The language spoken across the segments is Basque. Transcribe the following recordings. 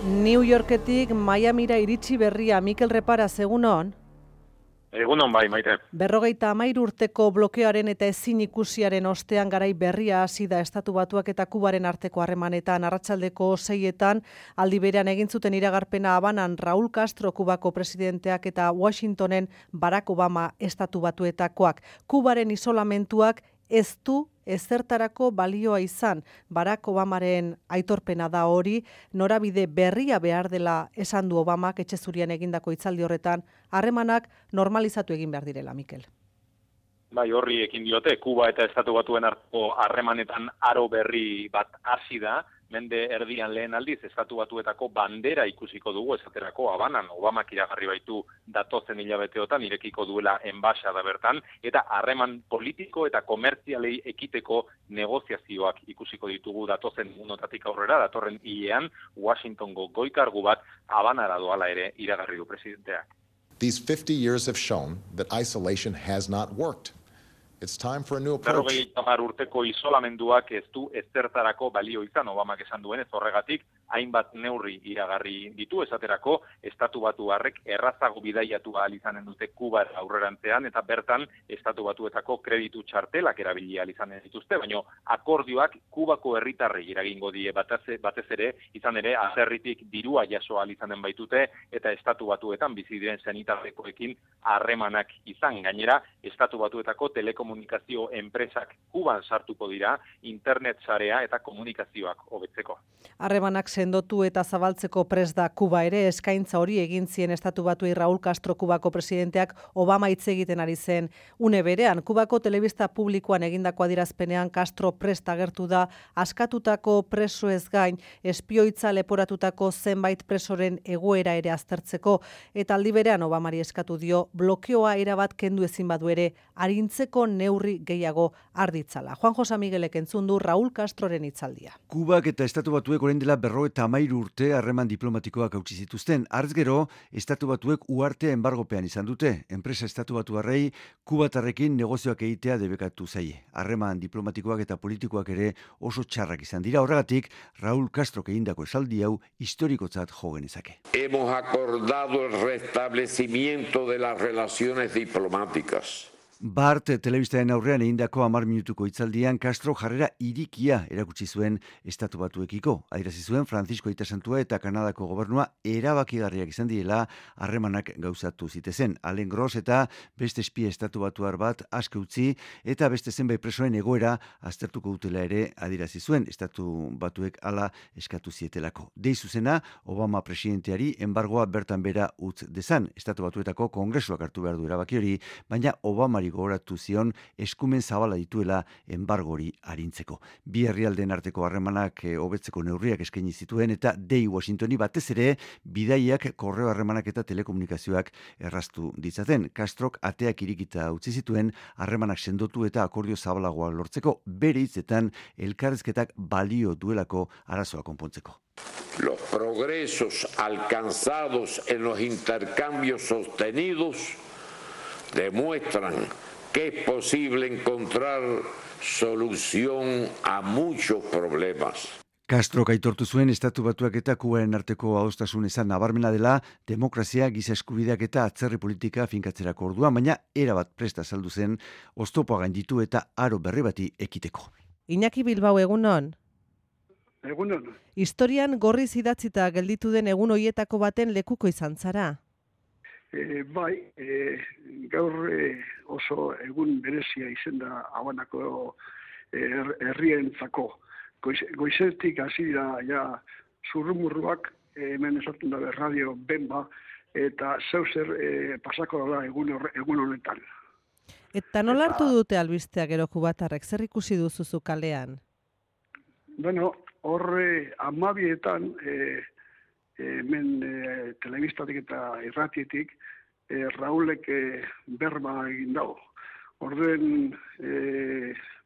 New Yorketik Miamira iritsi berria, Mikel Repara, egunon? Egunon bai, Maite. 53 urteko blokeoaren eta ezin ikusiaren ostean garai berria hasi da Estatu Batuak eta Kubaren arteko harremanetan. Arratsaldeko 6etan aldi berean egin zuten iragarpena Habanan Raúl Castro Kubako presidenteak eta Washingtonen Barack Obama Estatu Batuetakoak. Kubaren isolamentuak ez du ezertarako balioa izan. Barack Obamaren aitorpena da hori, norabide berria behar dela esan du Obamak etxe zurian egindako hitzaldi horretan, harremanak normalizatu egin behar direla, Mikel. Bai, horri ekin diote, Kuba eta Estatu Batuen arteko harremanetan aro berri bat hasi da, mende erdian lehen aldiz Estatu Batuetako bandera ikusiko dugu esaterako Habanan, Obamak iragarri baitu datozen hilabeteotan irekiko duela enbaxada bertan, eta harreman politiko eta komertzialei ekiteko negoziazioak ikusiko ditugu datozen unotatik aurrera, datorren hilean Washingtongo goi-kargu bat Habanara doala ere iragarri du presidenteak. These 50 years have shown that isolation has not worked. It's time for a new approach. 50 urteko isolamenduak ez du ezertarako balio izan, Obamak esan duenez, horregatik hainbat neurri iragarri ditu, esaterako Estatu Batuarrek errazago bidaiatu ahal izanen dute Kubar aurrerantzean, eta bertan Estatu Batuetako kreditu txartelak erabili ahal izanen dituzte, baina akordioak Kubako herritarrei eragingo die batez ere, izan ere, atzerritik dirua jaso ahal izanen baitute, eta Estatu Batuetan bizi diren senitarrekoekin harremanak izan. Gainera, Estatu Batuetako telekomunikazio enpresak Kuban sartuko dira, internet sarea eta komunikazioak hobetzeko. Harremanak sendotu eta zabaltzeko prest da Kuba ere, eskaintza hori egin zien Estatu Batuei Raúl Castro Kubako presidenteak Obama hitz egiten ari zen une berean. Kubako telebista publikoan egindako adierazpenean Castro prest agertu da askatutako presoez gain espioitza leporatutako zenbait presoren egoera ere aztertzeko, eta aldi berean Obamari eskatu dio blokeoa erabat kendu ezin badu ere arintzeko neurri gehiago arditzala. Juan José Miguelek entzun du Raúl Castroren hitzaldia. Kubak eta Estatu Batuek orain dela 53 urte harreman diplomatikoak hautsi zituzten. Hartz gero, Estatu Batuek uhartea enbargopean izan dute. Enpresa Estatu Batuarrei Kubatarrekin negozioak egitea debekatu zaie. Harreman diplomatikoak eta politikoak ere oso txarrak izan dira. Horregatik, Raúl Castrok egindako esaldi hau historikotzat jo genezake. Hemos acordado el restablecimiento de las relaciones diplomáticas. Bart telebistaren aurrean egindako 10 minutuko hitzaldian Castro jarrera irikia erakutsi zuen Estatu Batuekiko. Adierazi zuen Francisco Aita Santua eta Kanadako gobernua erabakigarriak izan direla harremanak gauzatu zitezen. Alain Gross eta beste espia Estatu Batuar bat aske utzi eta beste zenbait presoen egoera aztertuko dutela ere adierazi zuen Estatu Batuek hala eskatu zietelako. Dei zuzena Obama presidenteari enbargoa bertan bera utz dezan. Estatu Batuetako Kongresuak hartu behar du erabaki hori, baina Obamari gogoratu zion eskumen zabala dituela enbargori arintzeko. Bi herrialdeen arteko harremanak hobetzeko neurriak eskaini zituen eta dei Washingtoni batez ere bidaiak, korreo harremanak eta telekomunikazioak erraztu ditzaten. Castrok ateak irikita utzi zituen harremanak sendotu eta akordio zabalagoa lortzeko, bere hitzetan elkarrizketak balio duelako arazoa konpontzeko. Los progresos alcanzados en los intercambios sostenidos demuestran que es posible encontrar solución a muchos problemas. Castrok aitortu zuen Estatu Batuak eta Kubaren arteko adostasun izan nabarmena dela demokrazia, giza eskubideak eta atzerri politika finkatzerako orduan, baina erabat presta azaldu zen oztopoa gainditu eta aro berri bati ekiteko. Iñaki Bilbao, egunon? Egunon. Historian gorriz idatzita gelditu den egun hoietako baten lekuko izan zara? Gaur oso egun berezia izen da Habanako herrientzako. Goizetik hasi da ja zurrumurruak, hemen esaten da radio Benba, eta zeuzer pasako da egun honetan. Eta nola hartu dute albistea gero kubatarrek, zer ikusi duzu kalean? Bueno, horre 12etan hemen telebistatik eta irratietik Raúlek berba egin dago. Orduen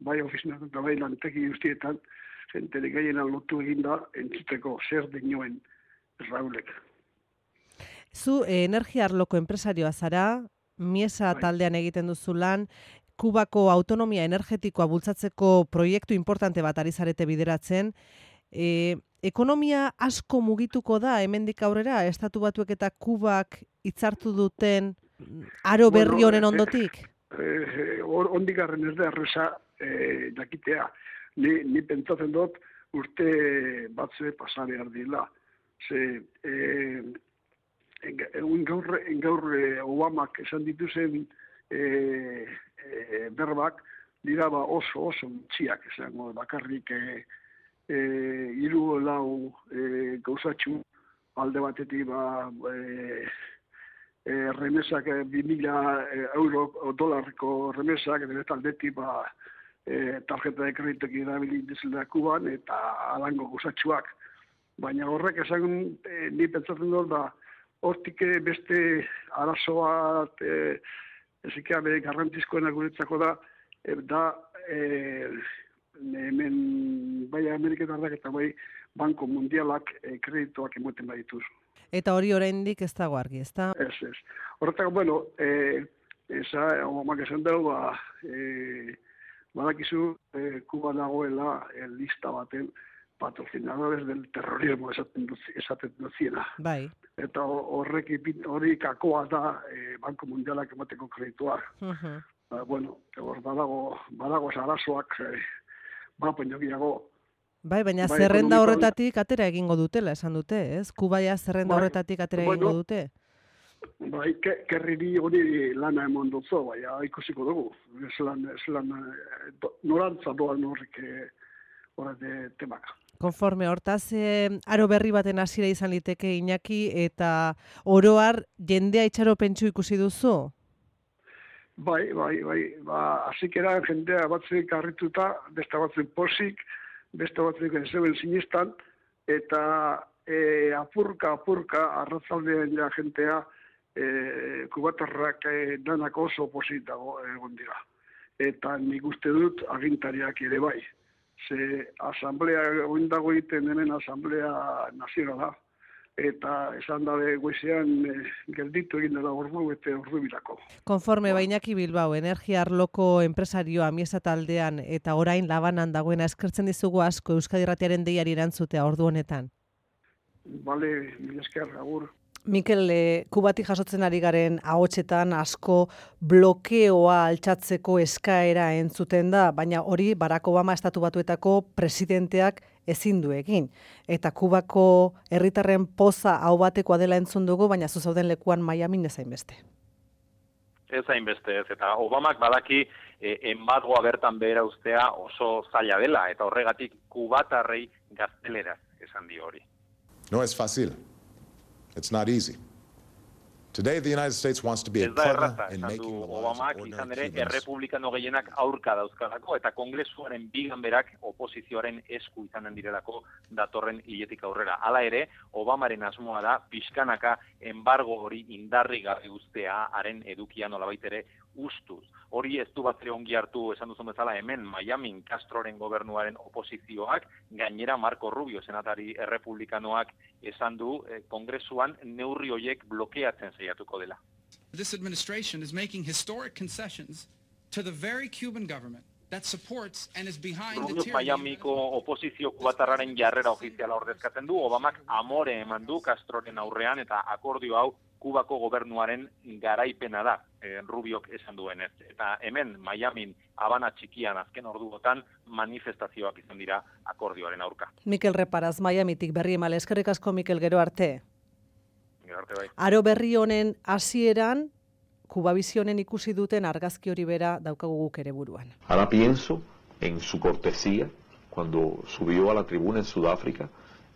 bai ofizinak eta bai lanteki guztietan jenterik gehiena lotu egin da entzuteko zer dinoen Raúlek. Zu energia arloko enpresarioa zara, Miesa taldean egiten duzu lan, Kubako autonomia energetikoa bultzatzeko proiektu importante bat ari zarete bideratzen, Ekonomia asko mugituko da hemendik aurrera, Estatu Batuek eta Kubak hitzartu duten aro berri honen ondotik? Ondik garren ez da erresa jakitea. Ni pentsatzen dut urte batze pasa behar dila. Gaur Obamak esan dituzen berbak dira oso txiak esango bakarrik hiru lau gauzatxu alde batetik remesak 2.000 euro dolarriko remesak, eta aldetik tarjeta de kreditoak erabili dizela Kuban eta alango gauzatxuak. Baina horrek esan ni pentsatzen dut hortik beste arazo bat ezikea garrantzizkoena guretzako da hemen bai Ameriketarrak eta bai Banko Mundialak kreditoak emoten badituz. Eta hori oraindik ez dago argi, ezta? Ez. Horretako, bueno, Obamak esan dugu, badakizu Kuba dagoela lista baten patrocinadores del terrorismo esaten duziena. Bai. Eta hori kakoa da Banko Mundialak emateko kredituak. Bueno, badago arazoak baino Bai, baina zerrenda horretatik atera egingo dutela, esan dute, ez? Kubaia zerrenda horretatik atera egingo dute? Bai, kerriri hori lana emon dutzo, bai, ikusiko dugu. Norantza doan horrek temaka. Konforme, hortaz, aro berri baten hasiera izan liteke Iñaki, eta oroar jendea itxaropentsu ikusi duzu? Bai, hasikera jendea batzuek harrituta, beste batzuen posik, beste batzuk zeben sinistan, eta apurka arratzaldean ja jentea kubatarrak danak oso positago egon dira. Eta nik uste dut agintariak ere bai. Ze asamblea oindago egiten hemen asamblea nazionala, eta esan dabe goizean gelditu egin dela ordu eta ordu bilako. Konforme Iñaki Bilbao, energia arloko enpresarioa Miesa taldean eta orain Labanan dagoena eskertzen dizugu asko Euskadi Irratiaren deiari erantzutea ordu honetan. Bale, mila esker, agur. Mikel, Kubatik jasotzen ari garen ahotsetan asko blokeoa altxatzeko eskaera entzuten da, baina hori Barack Obama Estatu Batuetako presidenteak ezin du egin. Eta Kubako herritarren poza hau batekoa dela entzun dugu, baina zu zauden lekuan Miamin ez hainbeste. Ez hainbeste, ez. Eta Obamak badaki enbargoa bertan behera ustea oso zaila dela, eta horregatik kubatarrei gazteleraz esan dio hori. No es fácil. It's not easy. Today the United States wants to be a clever in making the lives of ordinary Cubans. Errepublikano gehienak aurka dauzkalako eta kongresuaren biganberak oposizioaren esku izanen direlako datorren hiletik aurrera. Hala ere, Obamaren asmoa da pixkanaka enbargo hori indarri gabe uztea haren edukia nolabait ere ustuz. Hori ez du batere ongi hartu esan duzun bezala hemen Miamin Castroren gobernuaren oposizioak, gainera Marco Rubio senatari errepublikanoak esan du kongresuan neurri horiek blokeatzen saiatuko dela. This administration is making historic concessions to the very Cuban government that supports and is behind the tyranny. Miamiko oposizio kubatarraren jarrera ofiziala ordezkatzen du, Obamak amore eman du Castroren aurrean eta akordio hau Kubako gobernuaren garaipena da, Rubiok esan duenez. Eta hemen, Miamin, Habana txikian azken orduotan manifestazioak izan dira akordioaren aurka. Mikel Reparaz, Miamitik berri emale. Eskerrik asko, Mikel, gero arte. Gero arte bai. Aro berri honen hasieran, Kubabizionen ikusi duten argazki hori bera daukagu guk ere buruan. Ahora pienso en su cortesía cuando subió a la tribuna en Sudáfrica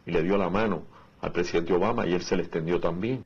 y le dio la mano al presidente Obama y él se le extendió también.